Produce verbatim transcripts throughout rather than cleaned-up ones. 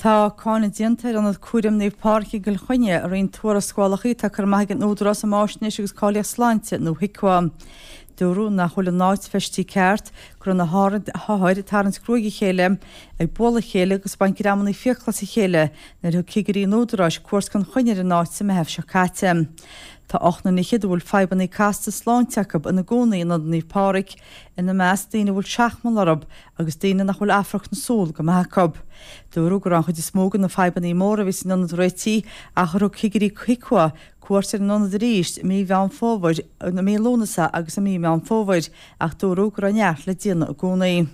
Tá cáineadh déanta ar ionad cúraim Naomh Pádraig i gCill Chainnigh i roinnt tuarascálacha atá curtha amach ag an Údarás um Fháisnéis agus Cáilíocht Sláinte nó HIQA. Dúradh nach bhfuil an áit feistithe ceart, go raibh na hothair ag tarraingt gruaig a chéile, ag bualadh a chéile agus ag baint greamanna fiacla as a chéile nuair a thug cigirí an Údaráis cuairt gan choinne ar an áit sa Meitheamh seo caite. Tá ocht nduine fhichead a bhfuil fadhbanna casta sláinte acu ina gcónaí in Ionad Naomh Pádraig, ina measc daoine a bhfuil seachmall orthu agus daoine nach bhfuil amharc na súl go maith acu. Dúradh go raibh an chuid is mó de na fadhbanna móra a bhí san ionad réitithe ach gur thug cigirí HIQA cuairt ar an ionad arís i mí Mheán Fómhair, i mí Lúnasa agus i mí Meán Fómhair ach dúradh go raibh neart le déanamh i gcónaí.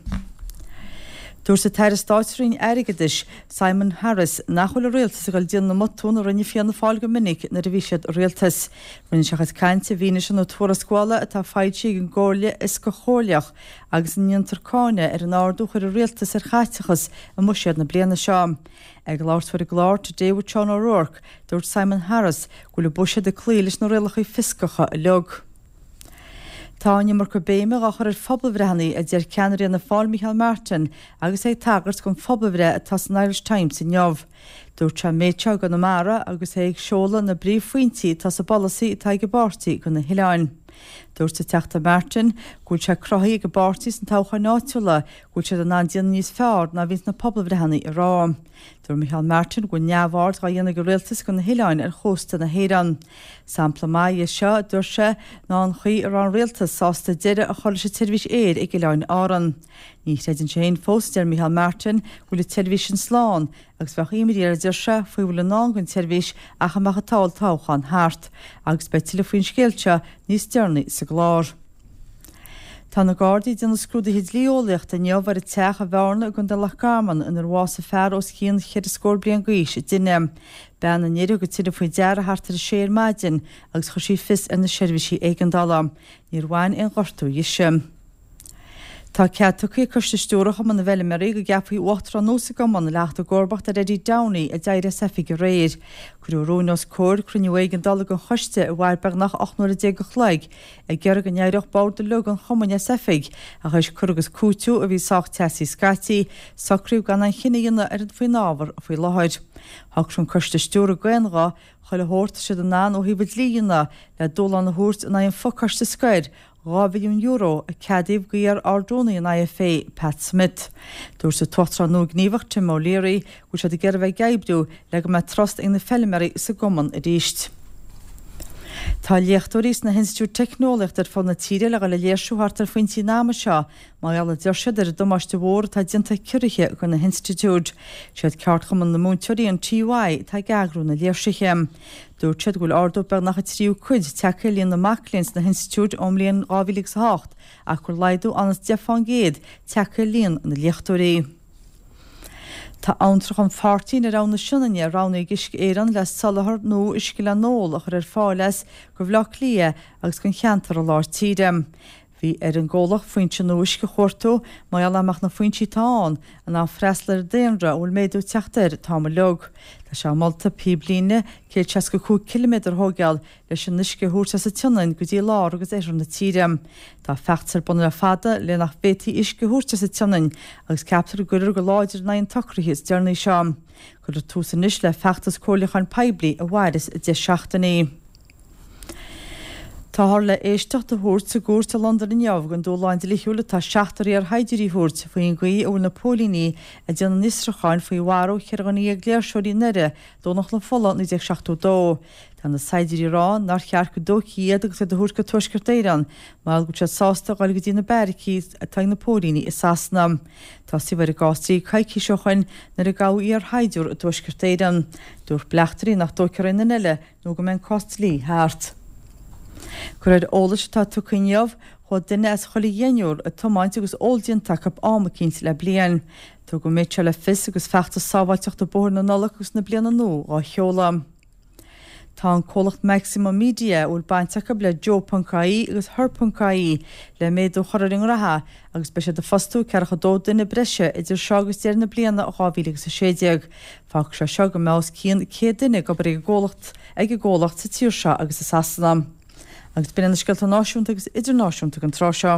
Dúirt an tAire Stáit sa Roinn Airgeadais, Simon Harris, nach bhfuil an Rialtas ag dul déanamh na mbotún a rinne Fianna Fáil go minic nuair a bhí siad i rialtas. Rinne sé a chuid cainte i bhfianaise na tuarascála atá foilsithe ag an gComhairle Fhioscach Chomhairleach agus ina ndéantar cáineadh ar an ardú a chuir an Rialtas ar chaiteachas i mbuiséad na bliana seo. Ag labhairt dó ar an gclár Today with Sean O'Rourke, dúirt Simon Harris go bhfuil an buiséad ag cloí leis na rialacha fioscacha uilig. Tá an iomarca béime á chur ar phobalbhreitheanna, a deir ceannaire Fhianna Fáil Micheál Martin agus é ag tagairt don phobalbhreith atá san Irish Times inniu. Dúirt sé an méid seo i gConamara agus é ag seoladh na bpríomhphointí atá sa bpolasaí atá ag an bpáirtí do na hoileáin. Dúirt an Teachta Martin go bhfuil sé cruthaithe ag an bpáirtí sna toghcháin áitiúla go bhfuil siad in ann déanamh níos fearr ná a bhíonns na pobalbhreitheanna ag rá. Dúirt Micheál Martin go bhfuil neamhaird dhá dhéanamh ag an rialtas de na hoileáin ar chósta na hÉireann. Sampla maith dhe seo, a dúirt sé, ná an chaoi a raibh an rialtas sásta deireadh a chur leis an tseirbhís aeir ag Oileáin Árann. Ní chreideann sé féin fós, a deir Micheál Martin, go bhfuil an tseirbhís sin slán agus bheadh imní air, a deir sé, faoi a bhfuil i ndán don tseirbhís ach a mbeadh an t-olltoghchán thart. Agus beidh tuilleadh faoin scéal seo níos deireanaí sa gclár. Tá na Gardaí ag déanamh scrúduithe dlí-eolaíochta inniu ar an teach i mBearna i gContae Loch Garman inar bhásaigh fear os cionn cheithre scór bliain d'aois i dtine. Bean an fhir a thug an tine faoi deara thart ar a sé ar maidin agus chuir sí fios ar na seirbhísí éigeandála. Níor bhain aon ghortú dhise. Tá cead tugtha ag Coiste Stiúrtha Chumann na bhFeilméaraí go gceapfaí uachtarán nua sa gcumann le theacht i gcomharbacht ar Eddie Downey a d'éirigh as oifig aréir. Cuireadh rún os comhair cruinniú éigeandála den choiste a mhair beagnach ocht n-uaire déag a chloig ag iarraidh go n-éireodh bord uilig an chumainn as oifig ach théis cur agus cúiteamh a bhí sách teasaí scaití, socraíodh gan aon chinneadh a dhéanamh ar an faoin ábhar faoi láthair. Shocraigh an Coiste Stiúrtha d'aon ghuth chuile shórt a siad in ann ó thaobh an dlí a dhéanamh le dúshlán a thabhairt in aghaidh an fhochoiste scoir dhá mhilliún euro a ceadaíodh d'iar-Ardrúnaí an IFA, Pat Smith. Dúirt an tUachtarán nua gníomhach Tim O'Leary go bhfuil siad ag iarraidh a bheith ag oibriú le go mbeidh trust ag na feilméaraí sa gcumann arís. Tá léachtóirí sna hinstitiúidí teicneolaíochta ar fud na tíre le dhul ag léirsiú thart ar phointí an ama seo mar gheall, a deir siad, ar an damáiste mhór atá déanta ag ciorruithe do na hinstitiúidí. Siad ceardchumann na múinteoirí, an TUI, atá ag eagrú na léirsithe. Dúirt siad go bhfuil ardú beagnach an tríú cuid tagtha ar líon na mac léinn sna hinstitiúidí ón mbliain dhá mhíle agus a hocht ach go bhfuil laghdú ionann's deich fán gcéad tagtha ar líon na léachtóirí. Tá Abhantrach an Phairtín ar Abhainn na Sionainne roghnaithe ag Uisce Éireann le soláthar nua uisce le n-ól a chur ar fáil as go Bhaile Átha Cliath agus don cheantar i lár tíre. Bhí ar an gcomhlacht foinse nua uisce a chuartú mar gheall nach mbeadh na foinsí atá ann in ann freastal ar an daonra a bhfuil méadú ag teacht air an t-am uilig. Tá sé molta píblíne céad seasca cúig ciliméadar a thóigeáil leis an uisce a thabhairt as an tSionainn go dtí lár agus oirthear na tíre. Tá feachtas ar bun le fada le nach bhféadfaí uisce a thabhairt as an tSionainn agus ceaptar go gcuirfear go láidir in aghaidh an tsocraithe is deireanaí seo. Cuirfear tús anois le feachtas comhairliúcháin poiblí a mhairfeas deich seachtainí. Táthar le éisteacht a thabhairt sa gcúirt i Londain inniu don dúshlán dlíthiúil atá seachtar iarshaighdiúirí a thabhairt faoin gcaoi a bhfuil na póilíní ag déanamh an fhiosrúcháin faoi mharú cheithre dhuine dhéag léirseoirí i nDoire, Domhnach na Fola naoi déag seachtó dó. Tá na saighdiúirí ag rá nár cheart go dtógfaí iad agus iad a thabhairt go Tuaisceart Éireann mar go bhfuil siad sásta a dhul go dtí na beairicí atá ag na póilíní i Sasana. Tosaíodh ar an gcás dlí coicís ó shoin nuair a gabhadh iarshaighdiúir i dTuaisceart Éireann. Dúirt bleachtairí nach dtógfar aon duine eile nó go mbeidh an cás dlí thart. De réir eolais atá tugtha inniu, chuaigh duine as chuile dheichniúr ag tiomáint agus ól déanta acu am eicínt le bliain. Tugadh an méid seo le fios agus feachtas sábháilteachta bóthair na Nollag agus na Bliana Nua dhá sheoladh. Tá an comhlacht Maximum Media, a bhfuil baint acu le Joe ponc ie agus Her ponc ie, le méadú a chur ar a ngraithe agus beidh siad ag fostú ceathracha dó duine breise idir seo agus deireadh na bliana dhá mhíle agus a sé déag. Fágfaidh sé seo go mbeidh os cionn céad duine ag obair ag an gcomhlacht ag an gcomhlacht sa tír seo agus i Sasana. Agus b'in iad na scéalta náisiúnta agus idirnáisiúnta don tráth seo.